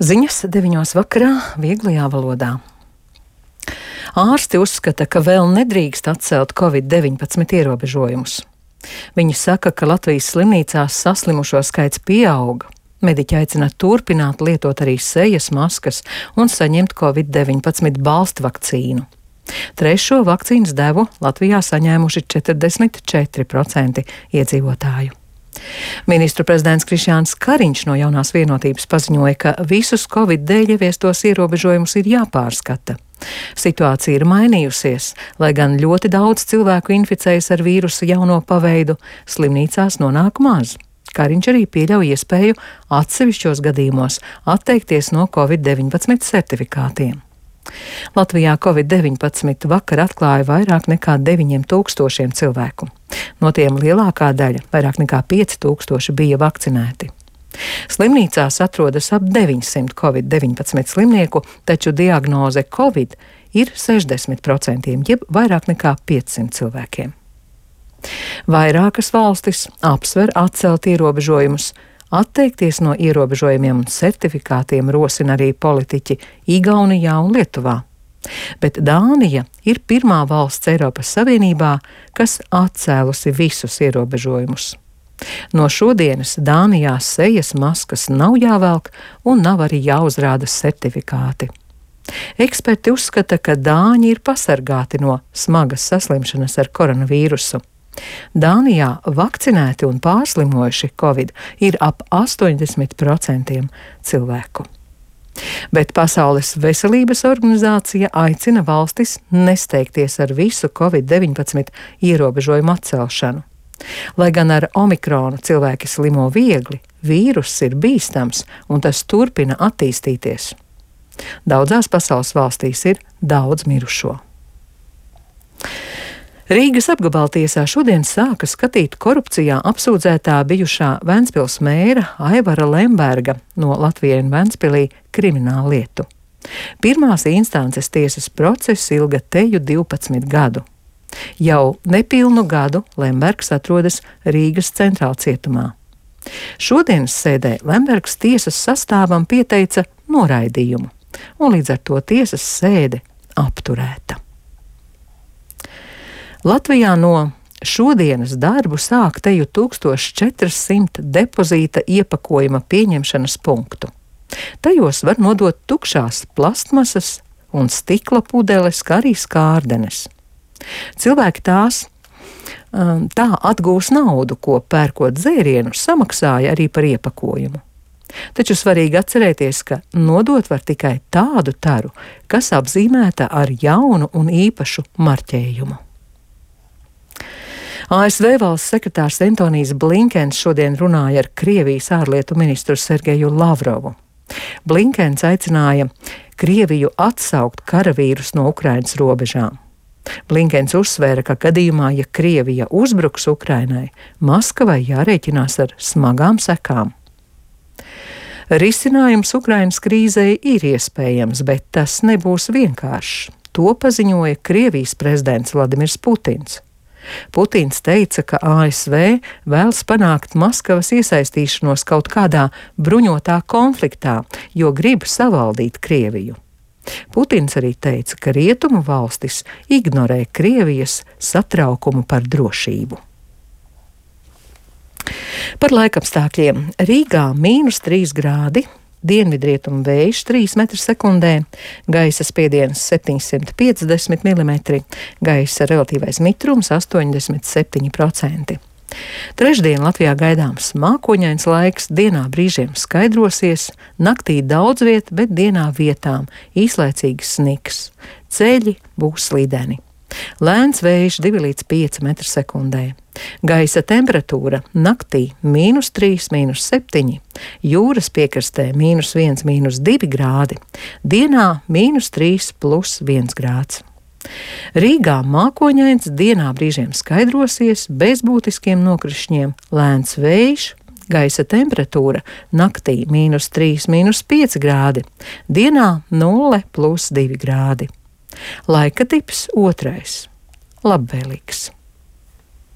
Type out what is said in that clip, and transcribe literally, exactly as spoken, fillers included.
Ziņas deviņos vakarā vieglajā valodā. Ārsti uzskata, ka vēl nedrīkst atcelt covid deviņpadsmit ierobežojumus. Viņi saka, ka Latvijas slimnīcās saslimušo skaits pieauga. Mediķi aicina turpināt lietot arī sejas maskas un saņemt covid deviņpadsmit balstu vakcīnu. Trešo vakcīnas devu Latvijā saņēmuši četrdesmit četri procenti iedzīvotāju. Ministru prezidents Krišjāns Kariņš no Jaunās vienotības paziņoja, ka visus covid dēļ ieviestos ierobežojumus ir jāpārskata. Situācija ir mainījusies, lai gan ļoti daudz cilvēku inficējas ar vīrusu jauno paveidu, slimnīcās nonāk maz. Kariņš arī pieļauj iespēju atsevišķos gadījumos atteikties no covid deviņpadsmit certifikātiem. Latvijā covid deviņpadsmit vakar atklāja vairāk nekā deviņiem tūkstošiem cilvēku. No tiem lielākā daļa, vairāk nekā pieci tūkstoši, bija vakcinēti. Slimnīcās atrodas ap deviņsimt covid deviņpadsmit slimnieku, taču diagnoze Covid ir sešdesmit procenti, jeb vairāk nekā piecsimt cilvēkiem. Vairākas valstis apsver atcelt ierobežojumus. Atteikties no ierobežojumiem un certifikātiem rosina arī politiķi Igaunijā un Lietuvā. Bet Dānija ir pirmā valsts Eiropas Savienībā, kas atcēlusi visus ierobežojumus. No šodienas Dānijā sejas maskas nav jāvelk un nav arī jāuzrāda certifikāti. Eksperti uzskata, ka dāņi ir pasargāti no smagas saslimšanas ar koronavīrusu. Dānijā vakcinēti un pārslimojuši Covid ir ap astoņdesmit procenti cilvēku. Bet Pasaules veselības organizācija aicina valstis nesteigties ar visu covid deviņpadsmit ierobežojumu atcelšanu. Lai gan ar omikronu cilvēki slimo viegli, vīruss ir bīstams un tas turpina attīstīties. Daudzās pasaules valstīs ir daudz mirušo. Rīgas apgabaltiesā šodien sāka skatīt korupcijā apsūdzētā bijušā Ventspils mēra Aivara Lemberga no Latvijai un Ventspilī kriminālu lietu. Pirmās instances tiesas process ilga teju divpadsmit gadu. Jau nepilnu gadu Lembergs atrodas Rīgas centrālcietumā. Šodienas sēdē Lembergs tiesas sastāvam pieteica noraidījumu, un līdz ar to tiesas sēde apturēta. Latvijā no šodienas darbu sāk teju tūkstoš četri simti depozīta iepakojuma pieņemšanas punktu. Tajos var nodot tukšās plastmasas un stikla pudeles, kā arī skārdenes. Cilvēki tās tā atgūs naudu, ko pērkot dzērienu, samaksāja arī par iepakojumu. Taču svarīgi atcerēties, ka nodot var tikai tādu taru, kas apzīmēta ar jaunu un īpašu marķējumu. A S V valsts sekretārs Antonijs Blinkens šodien runāja ar Krievijas ārlietu ministru Sergeju Lavrovu. Blinkens aicināja Krieviju atsaukt karavīrus no Ukrainas robežām. Blinkens uzsvēra, ka gadījumā, ja Krievija uzbruks Ukrainai, Maskavai jārēķinās ar smagām sekām. Risinājums Ukrainas krīzei ir iespējams, bet tas nebūs vienkāršs. To paziņoja Krievijas prezidents Vladimirs Putins. Putins teica, ka A S V vēlas panākt Maskavas iesaistīšanos kaut kādā bruņotā konfliktā, jo grib savaldīt Krieviju. Putins arī teica, ka rietumu valstis ignorē Krievijas satraukumu par drošību. Par laikapstākļiem. Rīgā mīnus trīs grādi, dienvidrietumu vējš trīs metri sekundē, gaisa spiediens septiņsimt piecdesmit milimetri, gaisa relatīvais mitrums astoņdesmit septiņi procenti. Trešdien Latvijā gaidāms mākoņains laiks, dienā brīžiem skaidrosies, naktī daudz viet, bet dienā vietām īslaicīgs sniks. Ceļi būs slīdeni. Lēns vējš divi līdz pieci metri sekundē. Gaisa temperatūra naktī mīnus trīs, mīnus septiņi, jūras piekrastē mīnus viens, mīnus divi grādi, dienā mīnus trīs plus viens grāds. Rīgā mākoņains, dienā brīžiem skaidrosies, bez būtiskiem nokrišņiem, lēns vējš, gaisa temperatūra naktī mīnus trīs, mīnus pieci grādi, dienā nulle plus divi grādi. Laika tips otrais - labvēlīgs.